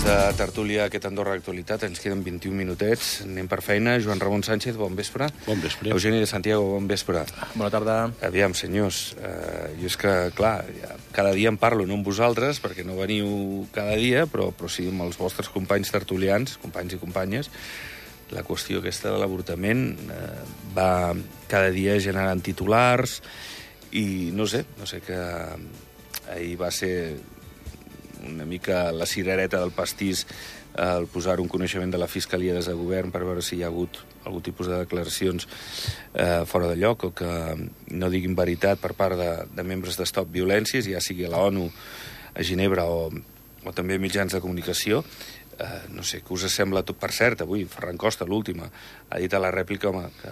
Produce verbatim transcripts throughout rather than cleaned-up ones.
de tertúlia aquest Andorra Actualitat. Ens queden vint-i-un minutets. Anem per feina. Joan Ramon Sánchez, bon vespre. Bon vespre. Eugeni de Santiago, bon vespre. Bona tarda. Aviam, senyors, eh, jo és que, clar, ja, cada dia em parlo, no amb vosaltres, perquè no veniu cada dia, però, però sí amb els vostres companys tertulians, companys i companyes. La qüestió aquesta de l'avortament eh, va cada dia generant titulars i no sé, no sé que ahir va ser una mica la cirereta del pastís el posar un coneixement de la Fiscalia des de govern per veure si hi ha hagut algun tipus de declaracions eh, fora de lloc o que no diguin veritat per part de, de membres de Stop Violències, ja sigui a la ONU, a Ginebra o, o també mitjans de comunicació. Eh, no sé, què us sembla tot? Per cert, avui Ferran Costa, l'última, ha dit a la rèplica, home, que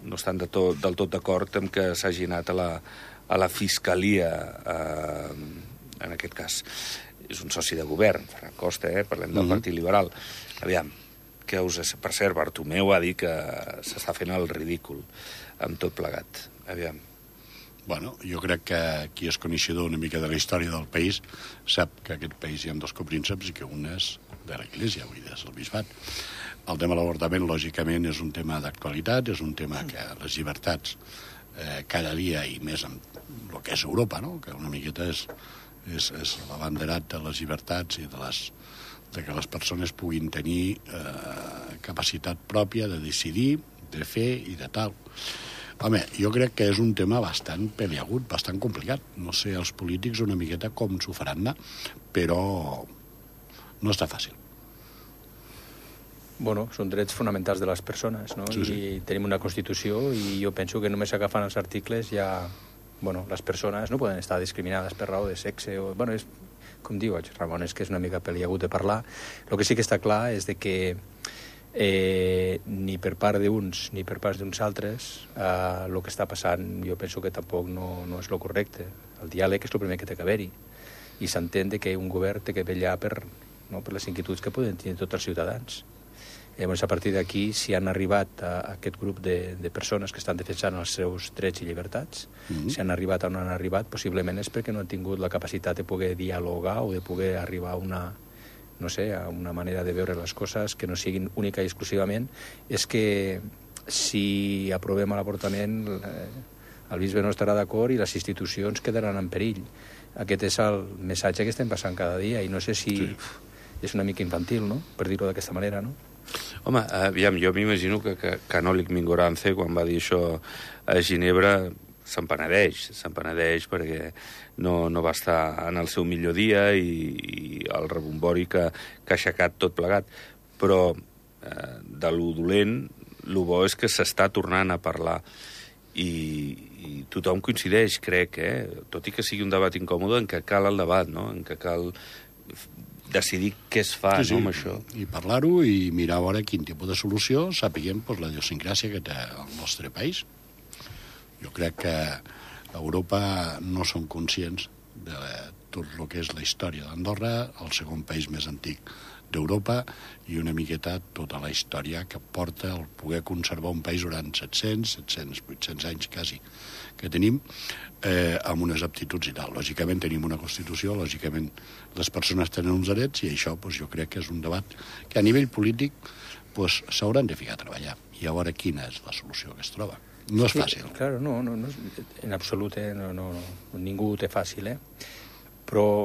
no estan de tot, del tot d'acord amb que s'hagi anat a la, a la Fiscalia eh, en aquest cas. És un soci de govern, Ferran Costa, eh? Parlem del Uh-huh. Partit Liberal. Aviam, que us... Per cert, Bartomeu ha dit que s'està fent el ridícul amb tot plegat. Aviam. Bueno, jo crec que qui és coneixedor una mica de la història del país sap que aquest país hi ha dos coprínceps i que un és de l'Església, vull dir, és el bisbat. El tema de l'avortament, lògicament, és un tema d'actualitat, és un tema que les llibertats eh, cada dia i més en el que és Europa, no? Que una miqueta és, és, és l'abanderat de les llibertats i de, les, de que les persones puguin tenir eh, capacitat pròpia de decidir, de fer i de tal. Home, jo crec que és un tema bastant peliagut, bastant complicat. No sé els polítics una miqueta com s'ho faran anar, però no està fàcil. Bueno, són drets fonamentals de les persones, no? Sí, sí. I tenim una Constitució i jo penso que només agafant els articles ja... Bueno, les persones no poden estar discriminades per raó de sexe o... Bueno, és, com diu Ramon, és que és una mica peliagut de parlar. El que sí que està clar és de que eh, ni per part d'uns ni per part d'uns altres eh, el que està passant jo penso que tampoc no, no és el correcte. El diàleg és el primer que té que haver-hi i s'entén que un govern té que vetllar per, no, per les inquietuds que poden tenir tots els ciutadans. Llavors, a partir d'aquí, si han arribat a aquest grup de, de persones que estan defensant els seus drets i llibertats, mm-hmm. si han arribat on han arribat, possiblement és perquè no han tingut la capacitat de poder dialogar o de poder arribar a una, no sé, a una manera de veure les coses que no siguin única i exclusivament. És que si aprovem l'avortament, eh, el bisbe no estarà d'acord i les institucions quedaran en perill. Aquest és el missatge que estem passant cada dia i no sé si sí. És una mica infantil, no?, per dir-ho d'aquesta manera, no? Home, aviam, jo m'imagino que, que Canòlic Mingorance, quan va dir això a Ginebra, se'n penedeix, se'n penedeix perquè no, no va estar en el seu millor dia i, i el rebombori que, que ha aixecat tot plegat. Però eh, de lo dolent, lo bo és que s'està tornant a parlar i, i tothom coincideix, crec, eh? Tot i que sigui un debat incòmode, en què cal el debat, no? En què cal decidir què es fa, sí, sí, no, amb això. I parlar-ho i mirar a veure quin tipus de solució sapiguem pues, la idiosincràsia que té el nostre país. Jo crec que a Europa no són conscients de tot el que és la història d'Andorra, el segon país més antic d'Europa i una miqueta tota la història que porta el poder conservar un país durant set-cents, set-cents, vuit-cents anys quasi que tenim, eh, amb unes aptituds i tal. Lògicament tenim una Constitució, lògicament les persones tenen uns drets i això pues, jo crec que és un debat que a nivell polític pues, s'hauran de ficar a treballar i a veure quina és la solució que es troba. No és fàcil. Sí, claro, no, no, no, en absolut, eh, no, no, no, ningú ho té fàcil, eh? Però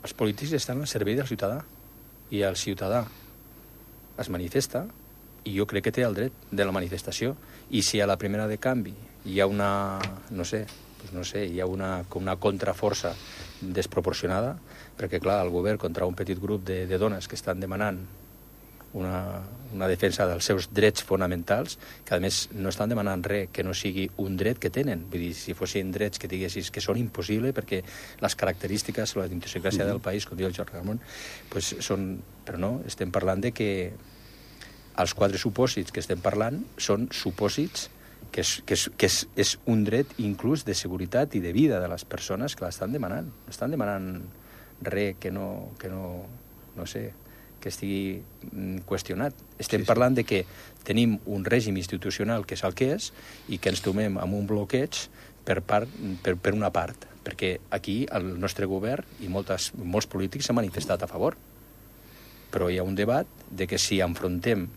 els polítics estan al servei del ciutadà i el ciutadà es manifesta i jo crec que té el dret de la manifestació i si a la primera de canvi hi ha una, no sé, doncs no sé, hi ha una, una contraforça desproporcionada, perquè clar, el govern contra un petit grup de, de dones que estan demanant una, una defensa dels seus drets fonamentals, que a més no estan demanant res que no sigui un dret que tenen. Vull dir, si fossin drets que diguessis que són impossibles perquè les característiques o la idiosincràsia mm-hmm. del país, com diu el Joan Ramon, pues són... Però no, estem parlant de que els quatre supòsits que estem parlant són supòsits que és, que és, que és, és un dret inclús de seguretat i de vida de les persones que l'estan demanant. No estan demanant res que no, que no, no sé, que estigui qüestionat. Estem sí, sí. parlant de que tenim un règim institucional que és el que és i que ens tomem amb un bloqueig per, part, per, per una part, perquè aquí el nostre govern i moltes, molts polítics s'han manifestat a favor. però hi ha un debat de que si enfrontem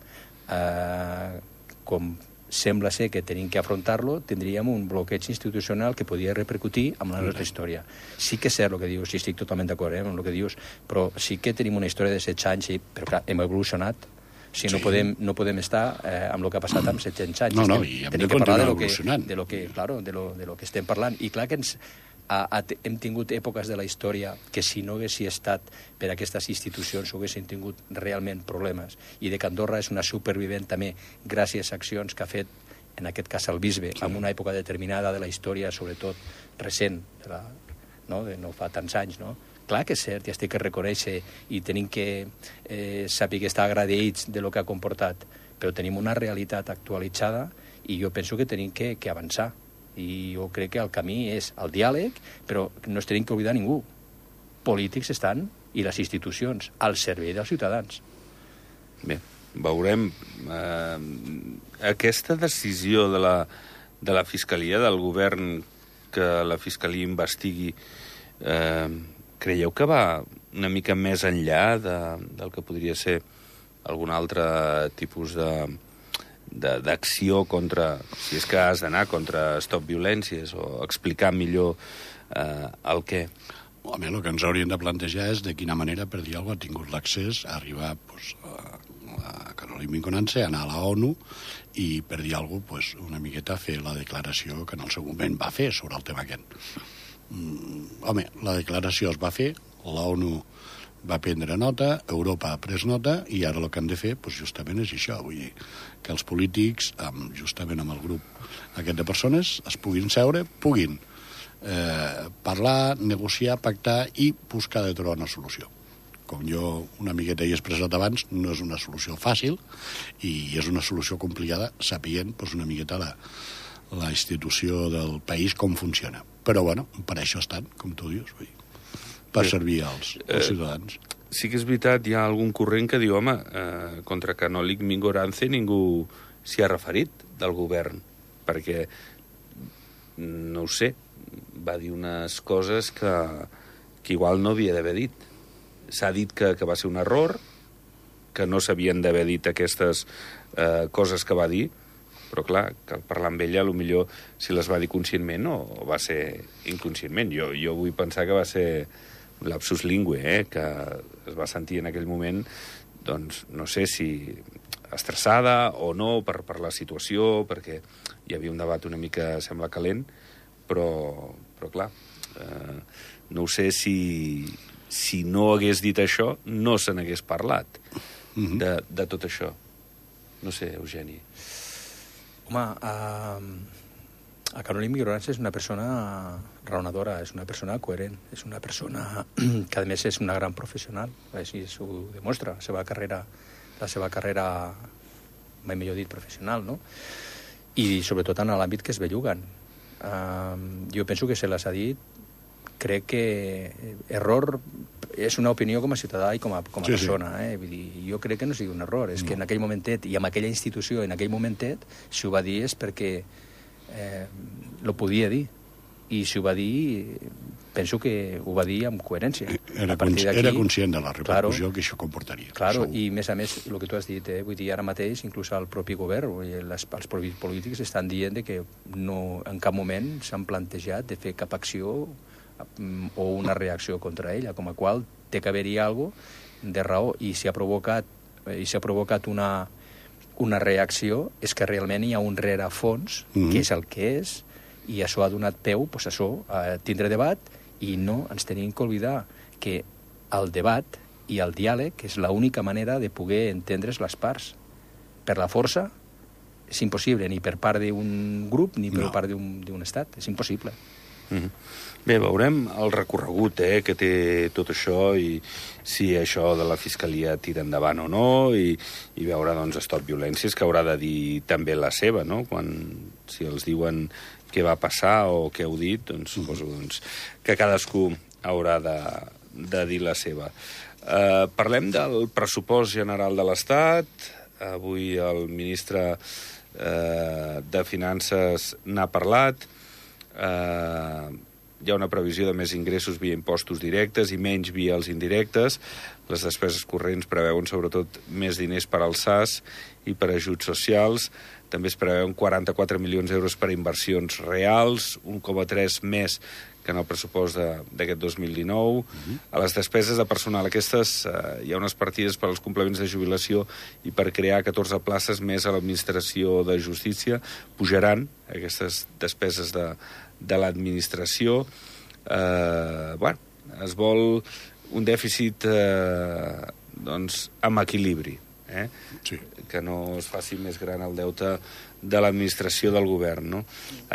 eh, com sembla ser que tenim que afrontar-lo, tindríem un bloqueig institucional que podria repercutir amb la nostra història. Sí que és cert el que dius, i estic totalment d'acord eh, amb el que dius, però sí que tenim una història de setze anys, i, però clar, hem evolucionat. O sigui, no, podem, no podem estar eh, amb el que ha passat amb set-cents anys. No, no, i hem de continuar evolucionant. De lo que, claro, de lo, de lo que estem parlant. I clar que ens, a, a, hem tingut èpoques de la història que si no haguessi estat per aquestes institucions haguessin tingut realment problemes. I de que Andorra és una supervivent també gràcies a accions que ha fet, en aquest cas el bisbe, sí. en una època determinada de la història, sobretot recent, de la, no? De no fa tants anys, no? Clar que és cert, i estic que reconèixer, i tenim que eh, saber que estar agraïts de lo que ha comportat, però tenim una realitat actualitzada i jo penso que tenim que, que avançar. I jo crec que el camí és el diàleg, però no es tenim que oblidar ningú. Polítics estan, i les institucions, al servei dels ciutadans. Bé, veurem. Eh, aquesta decisió de la, de la Fiscalia, del govern, que la Fiscalia investigui, eh, creieu que va una mica més enllà de, del que podria ser algun altre tipus de d'acció contra, si és que has d'anar contra Stop Violències, o explicar millor eh, el què? Home, el que ens haurien de plantejar és de quina manera, per dir alguna cosa, ha tingut l'accés a arribar pues, a, a Caroline Vinconance, a anar a la ONU i, per dir alguna cosa, pues, una miqueta fer la declaració que en el seu moment va fer sobre el tema aquest. Mm, home, la declaració es va fer, la ONU va prendre nota, Europa ha pres nota, i ara el que han de fer pues, justament és això, vull dir, que els polítics, amb, justament amb el grup aquest de persones, es puguin seure, puguin eh, parlar, negociar, pactar i buscar de trobar una solució. Com jo una miqueta he expressat abans, no és una solució fàcil i és una solució complicada, sapient pues, una miqueta la, la institució del país com funciona. Però, bueno, per això estan, com tu dius, vull dir, per servir als, als ciutadans. Eh, sí que és veritat, hi ha algun corrent que diu, home, eh, contra Caroline Vinconance ningú s'hi ha referit del govern, perquè, no ho sé, va dir unes coses que, que igual no havia d'haver dit. S'ha dit que, que va ser un error, que no s'havien d'haver dit aquestes eh, coses que va dir, però clar, que al parlar amb ella, potser si les va dir conscientment o va ser inconscientment. Jo, jo vull pensar que va ser un lapsus lingue, eh? Que es va sentir en aquell moment, doncs, no sé si estressada o no per, per la situació, perquè hi havia un debat una mica, sembla, calent, però, però clar, eh, no sé si, si no hagués dit això, no se n'hagués parlat mm-hmm. de, de tot això. No sé, Eugeni. Home, uh, a Caroline Vinconance és una persona raonadora, és una persona coherent, és una persona que, a més, és una gran professional, així s'ho demostra, la seva carrera, la seva carrera, mai millor dit, professional, no? I sobretot en l'àmbit que es belluguen. Uh, jo penso que se les ha dit, crec que error és una opinió com a ciutadà i com a, com a sí, persona. Sí. Eh? Vull dir, jo crec que no sigui un error, és no. que en aquell momentet i amb aquella institució, en aquell momentet, si ho va dir és perquè eh, lo podia dir. I si ho va dir, penso que ho va dir amb coherència. Era, era conscient de la repercussió claro, que això comportaria. Claro, i a més a més, el que tu has dit, eh, vull dir, ara mateix, inclús el propi govern, vull dir, les, els polítics estan dient de que no, en cap moment s'han plantejat de fer cap acció o una reacció contra ella, com a qual té que haver-hi alguna cosa de raó, i si ha provocat, i si ha provocat una, una reacció és que realment hi ha un rerefons, mm-hmm. que és el que és, i això ha donat peu pues, això, a tindre debat, i no ens tenim que oblidar que el debat i el diàleg és l'única manera de poder entendre's les parts. Per la força és impossible, ni per part d'un grup ni per no. part d'un estat, és impossible. Mm-hmm. Bé, veurem el recorregut eh, que té tot això i si això de la Fiscalia tira endavant o no i, i veure, doncs, Stop Violències, que haurà de dir també la seva, no? Quan, si els diuen què va passar o què heu dit, doncs suposo doncs, que cadascú haurà de, de dir la seva. Eh, parlem del pressupost general de l'Estat. Avui el ministre eh, de Finances n'ha parlat. Eh, hi ha una previsió de més ingressos via impostos directes i menys via els indirectes. Les despeses corrents preveuen sobretot més diners per als S A S i per ajuts socials. També es preveuen quaranta-quatre milions d'euros per a inversions reals, un coma tres més que en el pressupost d'aquest dos mil dinou. Uh-huh. A les despeses de personal, aquestes, eh, hi ha unes partides per als complements de jubilació i per crear catorze places més a l'administració de justícia. Pujaran aquestes despeses de, de l'administració. Eh, bueno, es vol un dèficit eh, doncs, amb equilibri, eh? Sí. Que no es faci més gran el deute de l'administració del govern, no?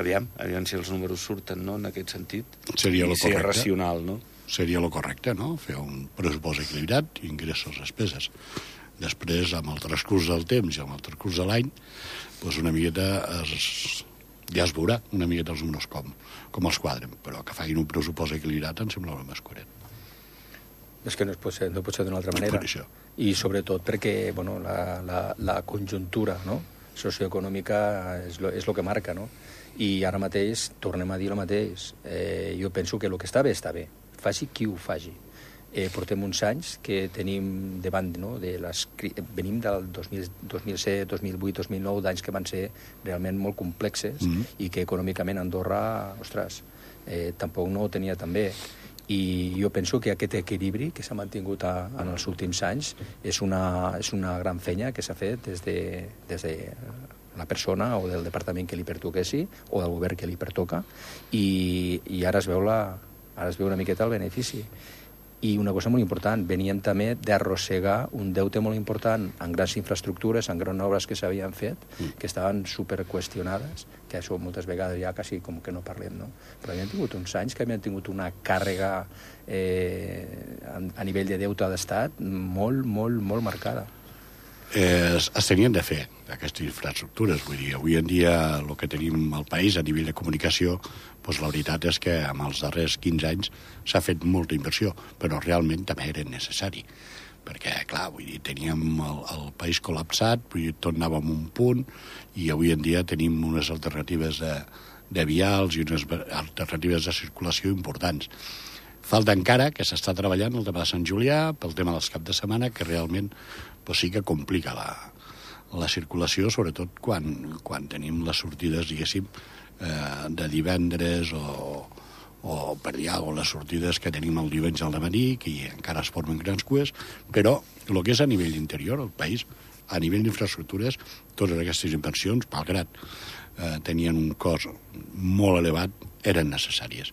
Aviam, aviam si els números surten, no?, en aquest sentit. Seria lo correcte. I ser racional, no? Seria lo correcte, no?, fer un pressupost equilibrat, ingressos, despeses. Després, amb el transcurs del temps i amb el transcurs de l'any, doncs una miqueta es, ja es veurà una miqueta els números com, com els quadren, però que facin un pressupost equilibrat em sembla el més coherent. És que no pot ser, no pot ser d'una altra manera. I sobretot perquè bueno, la, la, la conjuntura, no?, socioeconòmica és lo, és lo que marca, no? I ara mateix tornem a dir el mateix. Eh, jo penso que el que està bé, està bé. Faci qui ho faci. Eh, portem uns anys que tenim davant, no?, de les, venim del dos mil, dos mil set, dos mil vuit, dos mil nou, d'anys que van ser realment molt complexes mm-hmm. i que econòmicament Andorra, ostres, eh, tampoc no ho tenia tan bé. I jo penso que aquest equilibri que s'ha mantingut a, en els últims anys és una, és una gran feina que s'ha fet des de, des de la persona o del departament que li pertoquessi o del govern que li pertoca i, i ara es veu la, ara es veu una miqueta el benefici. I una cosa molt important, veníem també d'arrossegar un deute molt important en grans infraestructures, en grans obres que s'havien fet, mm. que estaven superqüestionades, que això moltes vegades ja quasi com que no parlem, no? Però havíem tingut uns anys que havíem tingut una càrrega eh, a, a nivell de deute d'estat molt, molt, molt marcada. Eh, es, es tenien de fer aquestes infraestructures, vull dir, avui en dia el que tenim al país a nivell de comunicació, doncs la veritat és que en els darrers quinze anys s'ha fet molta inversió, però realment també era necessari, perquè, clar, vull dir, teníem el, el país col·lapsat, vull dir, tot anava en un punt, i avui en dia tenim unes alternatives de, de vials i unes alternatives de circulació importants. Falta encara que s'està treballant el tema de Sant Julià, pel tema dels caps de setmana, que realment pues, sí que complica la, la circulació, sobretot quan, quan tenim les sortides, diguéssim, eh, de divendres o, o per dir alguna cosa, les sortides que tenim el diumenge al dematí, que encara es formen grans cues, però el que és a nivell interior, el país, a nivell d'infraestructures, totes aquestes inversions, malgrat eh, tenien un cost molt elevat, eren necessàries.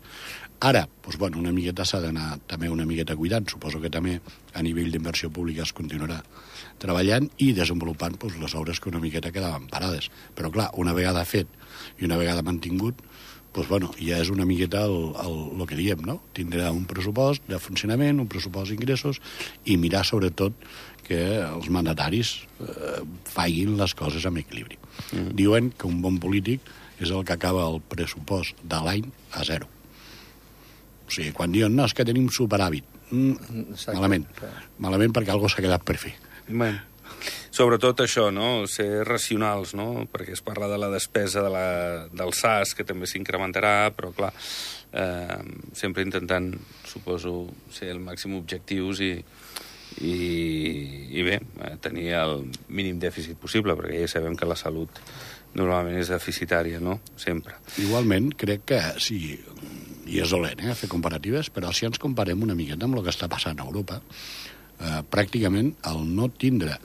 Ara, doncs, bueno, una miqueta s'ha d'anar també una miqueta cuidant. Suposo que també a nivell d'inversió pública es continuarà treballant i desenvolupant doncs, les obres que una miqueta quedaven parades. Però, clar, una vegada fet i una vegada mantingut, doncs, bueno, ja és una miqueta el, el, el que diem, no? Tindrà un pressupost de funcionament, un pressupost d'ingressos i mirar, sobretot, que els mandataris eh, facin les coses amb equilibri. Mm. Diuen que un bon polític és el que acaba el pressupost de l'any a zero. O sigui, quan diuen, no, és que tenim superàvit. Mm, malament. Malament perquè algú s'ha quedat per fer. Bueno, sobretot això, no?, ser racionals, no?, perquè es parla de la despesa de la, del S A S, que també s'incrementarà, però, clar, eh, sempre intentant, suposo, ser el màxim objectius i, i, i bé, tenir el mínim dèficit possible, perquè ja sabem que la salut normalment és deficitària, no?, sempre. Igualment, crec que sí, i és dolent, eh, fer comparatives, però si ens comparem una miqueta amb el que està passant a Europa, eh, pràcticament el no tindre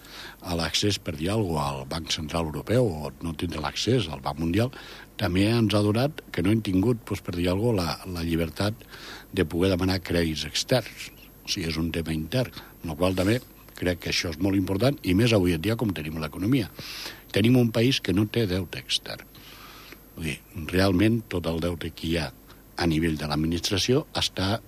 l'accés, per dir alguna cosa, al Banc Central Europeu o no tindre l'accés al Banc Mundial, també ens ha donat que no hem tingut, doncs, per dir alguna cosa, la, la llibertat de poder demanar crèdits externs. O sigui, és un tema intern, amb el qual també crec que això és molt important, i més avui en dia com tenim l'economia. Tenim un país que no té deute extern. Vull dir, realment tot el deute que hi ha a nivell de l'administració està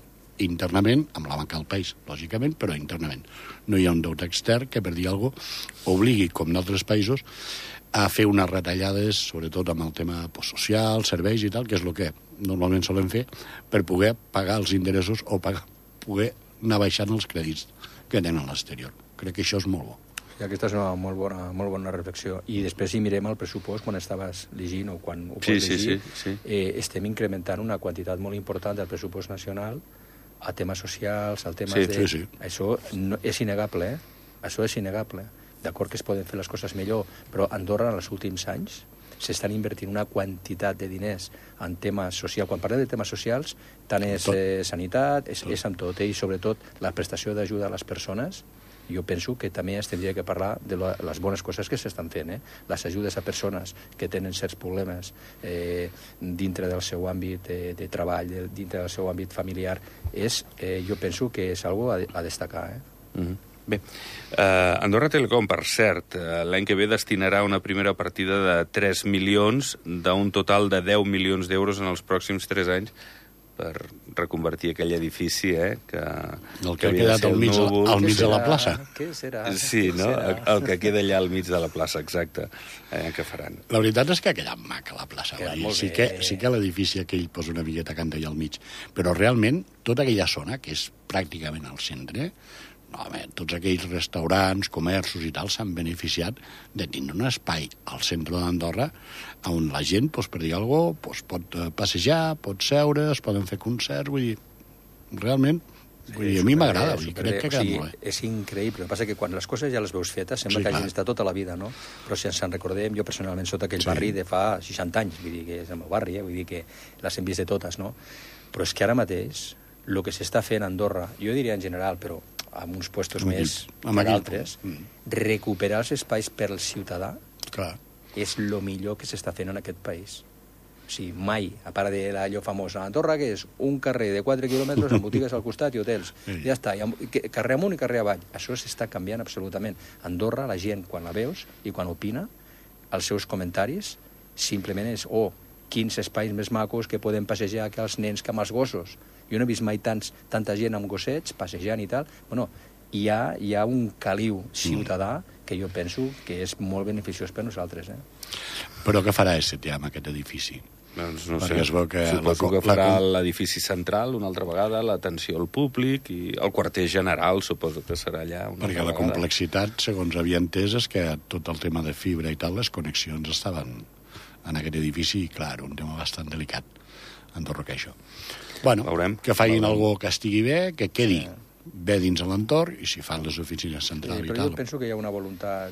internament amb la banca del país, lògicament, però internament. No hi ha un deute extern que, per dir alguna cosa, obligui, com en altres països, a fer unes retallades, sobretot amb el tema pues, social, serveis i tal, que és el que normalment solen fer, per poder pagar els interessos o pagar, poder anar baixant els crèdits que tenen a l'exterior. Crec que això és molt bo. Sí, aquesta és una molt bona, molt bona reflexió. I després, si mirem el pressupost, quan estaves llegint o quan ho pots sí, llegir, sí, sí, sí. Eh, estem incrementant una quantitat molt important del pressupost nacional a temes socials, al temes sí, de... Sí, sí. Això no, és innegable, eh? Això és innegable. D'acord que es poden fer les coses millor, però a Andorra, en els últims anys, s'estan invertint una quantitat de diners en temes socials. Quan parlem de temes socials, tant és eh, sanitat, és, és amb tot, eh? I sobretot la prestació d'ajuda a les persones. Jo penso que també es tindria que parlar de la, les bones coses que s'estan fent, eh? Les ajudes a persones que tenen certs problemes eh, dintre del seu àmbit de, de treball, de, dintre del seu àmbit familiar, és, eh, jo penso que és algo a, a destacar. Eh? Mm-hmm. Bé, uh, Andorra Telecom, per cert, uh, l'any que ve destinarà una primera partida de tres milions d'un total de deu milions d'euros en els pròxims tres anys per reconvertir aquell edifici, eh, que... El que, que ha quedat al mig, núvol, al mig de la plaça. Què serà? Sí, Què no? serà? El, el que queda allà al mig de la plaça, exacte. Eh, què faran? La veritat és que ha quedat maca la plaça. Queda Sí que, sí que l'edifici aquell posa una miqueta canta allà al mig, però realment tota aquella zona, que és pràcticament al centre, no, home, tots aquells restaurants, comerços i tal s'han beneficiat de tindre un espai al centre d'Andorra on la gent, doncs, per dir alguna cosa, doncs, pot passejar, pot seure, es poden fer concerts, vull dir, realment, vull dir, a mi m'agrada, crec que ha quedat molt bé. És increïble, el que passa que quan les coses ja les veus fetes sembla Sí, que clar. hagin estat tota la vida, no? Però si ens en recordem, jo personalment sóc aquell Sí. barri de fa seixanta anys, vull dir que és el meu barri, eh? Vull dir que les hem vist de totes, no? Però és que ara mateix, el que s'està fent a Andorra, jo diria en general, però amb uns puestos Amb més aquí- amb que aquí- d'altres, Mm. recuperar els espais per al ciutadà Clar. és el millor que s'està fent en aquest país. O sigui, mai, a part de l'allò famós a Andorra, que és un carrer de quatre quilòmetres amb botigues al costat i hotels. Sí. Ja està, i amb, que, carrer amunt i carrer avall. Això s'està canviant absolutament. Andorra, la gent, quan la veus i quan opina, els seus comentaris simplement és, oh, quins espais més macos que poden passejar que els nens que amb els gossos. Jo no he vist mai tants, tanta gent amb gossets passejant i tal. Bueno, hi ha, hi ha un caliu ciutadà que jo penso que és molt beneficiós per nosaltres. Eh? Però què farà S T A amb aquest edifici? Doncs no Perquè sé. es veu que Suposo la- que farà la- l'edifici central una altra vegada, l'atenció al públic i el quarter general suposo que serà allà una Perquè altra la vegada. complexitat, segons havia entès, és que tot el tema de fibra i tal, les connexions estaven en aquest edifici, i clar, un tema bastant delicat. Andorra que això. Bueno, Veurem. que facin Veurem. algo que estigui bé, que quedi bé dins de l'entorn, i si fan les oficines centrals Sí, i però tal... jo penso que hi ha una voluntat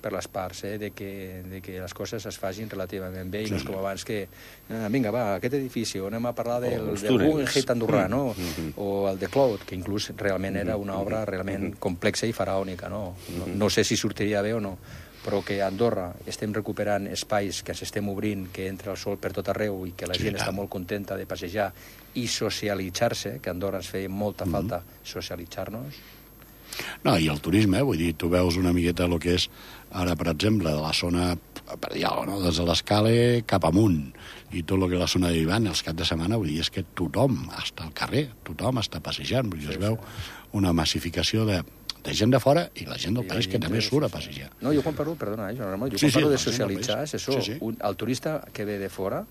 per les parts, eh, de, que, de que les coses es facin relativament bé, i no és com abans que, ah, vinga, va, aquest edifici, on anem a parlar del, els del túnels. Guggenheim andorrà, no? Mm-hmm. O el de Cloud, que inclús realment era una obra realment complexa i faraònica, no? No, no sé si sortiria bé o no, però que a Andorra estem recuperant espais que ens estem obrint, que entra el sol per tot arreu i que la Sí, gent tant. està molt contenta de passejar i socialitzar-se, que a Andorra ens feia molta Mm-hmm. falta socialitzar-nos. No, i el turisme, vull dir, tu veus una miqueta el que és, ara, per exemple, de la zona, per dir alguna cosa, no? des de l'escala cap amunt, i tot el que és la zona de Vivan, els caps de setmana, vull dir, és que tothom està al carrer, tothom està passejant, vull dir, es veu una massificació de, de gent de fora i la gent del I país la que gent també de- surt a passejar. No, jo quan parlo, perdona, eh, Joan Ramon, jo Sí, quan sí, parlo de la gent del socialitzar, país. és això, Sí, sí. un, el turista que ve de fora,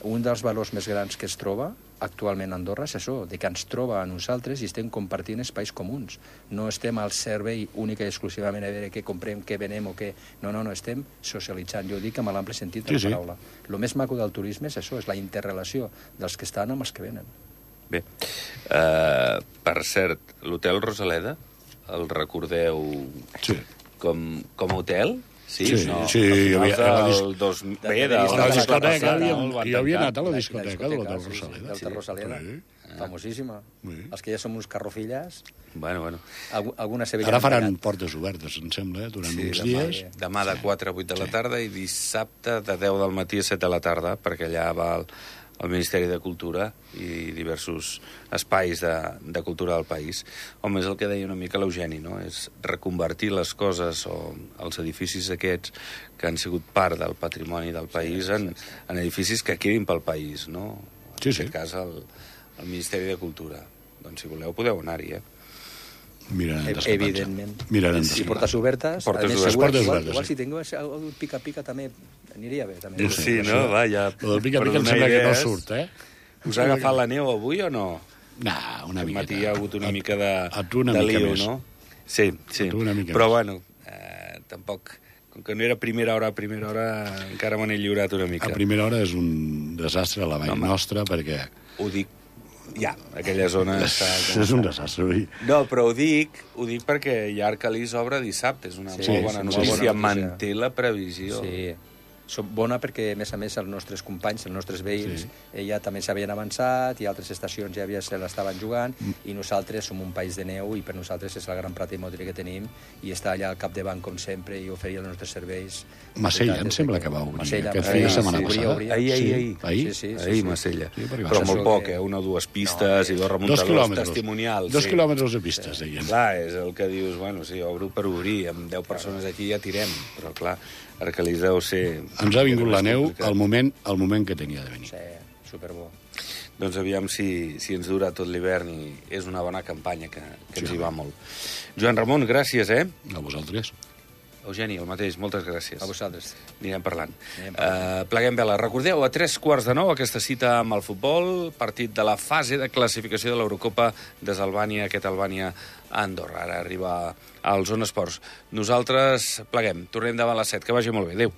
un dels valors més grans que es troba actualment a Andorra és això, de que ens troba a nosaltres i estem compartint espais comuns. No estem al servei única i exclusivament a veure què comprem, què venem o què... No, no, no, estem socialitzant. Jo ho dic amb l'ample sentit de Sí, la sí. paraula. El més maco del turisme és això, és la interrelació dels que estan amb els que venen. Bé, uh, per cert, l'hotel Rosaleda, el recordeu Sí. com, com a hotel? Sí, Sí, no, sí, a jo havia- finals a la dis- del dos... de- Bé, de- de, de- A la de- discoteca, passada, havíem- el van jo havia tancar. anat a la La- discoteca de l'Hotel sí, sí, Rosaleda. l'Hotel Rosaleda, Sí. famosíssima. Sí. Els que ja som uns carrofilles, Bueno, bueno. algu- alguna sevillana... Ara faran portes obertes, em sembla, eh, durant Sí, uns demà, dies. demà de quatre a vuit de la tarda i dissabte de deu del matí a set de la tarda, perquè allà va el, el Ministeri de Cultura i diversos espais de, de cultura del país. Home, és el que deia una mica l'Eugeni, no? És reconvertir les coses o els edificis aquests que han sigut part del patrimoni del país en, en edificis que quedin pel país, no? Sí, En sí. aquest cas, el, el Ministeri de Cultura. Doncs, si voleu, podeu anar-hi, eh? Mirarem Ev- d'escapar-se. Evidentment. Mirarem I d'escapar. portes obertes. Portes a més, obertes. segur, Portes igual, obertes, igual sí. si tingués algun pica-pica també aniria bé. També. No sé, Sí, això- no? Va, ja... Lo del pica-pica per em donar sembla que no idees. surt, eh? Us ha agafat la neu avui o no? Nah, una Aquest miqueta. matí hi ha hagut una A- mica de, a tu una de mica lío, més. no? Sí, sí. A tu una mica Però més. bueno, eh, tampoc... Com que no era primera hora a primera hora, encara me n'he lliurat una mica. A primera hora és un desastre a la vall no, nostra, perquè... Ho dic, ja, aquella zona està... És un desastre, oi? No, però ho dic, ho dic perquè Llarcalís obre dissabte, és una Sí, molt bona sí, notícia, molt bona notícia. manté la previsió. Sí, som bona perquè, a més a més, els nostres companys, els nostres veïns, Sí. eh, ja també s'havien avançat i altres estacions ja havia, se l'estaven jugant Mm. i nosaltres som un país de neu i per nosaltres és la gran plata immoble que tenim i està allà al capdavant, com sempre, i oferir els nostres serveis. Masella, em Des sembla que- que va obrir Masella, aquest Masella, fi de sí, setmana sí, passada. obria, Ahir, ahir, Sí, ahir. ahir? Sí, sí, sí, Ahir, sí. Masella. Sí, perquè va Però ser molt això poc, que- eh? Una o dues pistes No, i dos Dos remuntadors quilòmetres. testimonials. Dos sí. quilòmetres de pistes, deien. Clar, és el que dius, bueno, sí, obro per obrir, amb deu persones aquí ja tirem, però clar, Arcalís deu ser... Ens ha vingut la neu complicat. al moment, al moment que tenia de venir. Sí, superbo. Doncs aviam si, si ens dura tot l'hivern i és una bona campanya que, que ens Sí. hi va molt. Joan Ramon, gràcies, eh? A vosaltres. Eugeni, el mateix, moltes gràcies. A vosaltres. Anirem parlant. Anirem parlant. Uh, pleguem vela. Recordeu, a tres quarts de nou, aquesta cita amb el futbol, partit de la fase de classificació de l'Eurocopa des d'Albània, aquest Albània-Andorra. Ara arriba al Zona Esports. Nosaltres pleguem. Tornem davant les set. Que vagi molt bé. Adéu.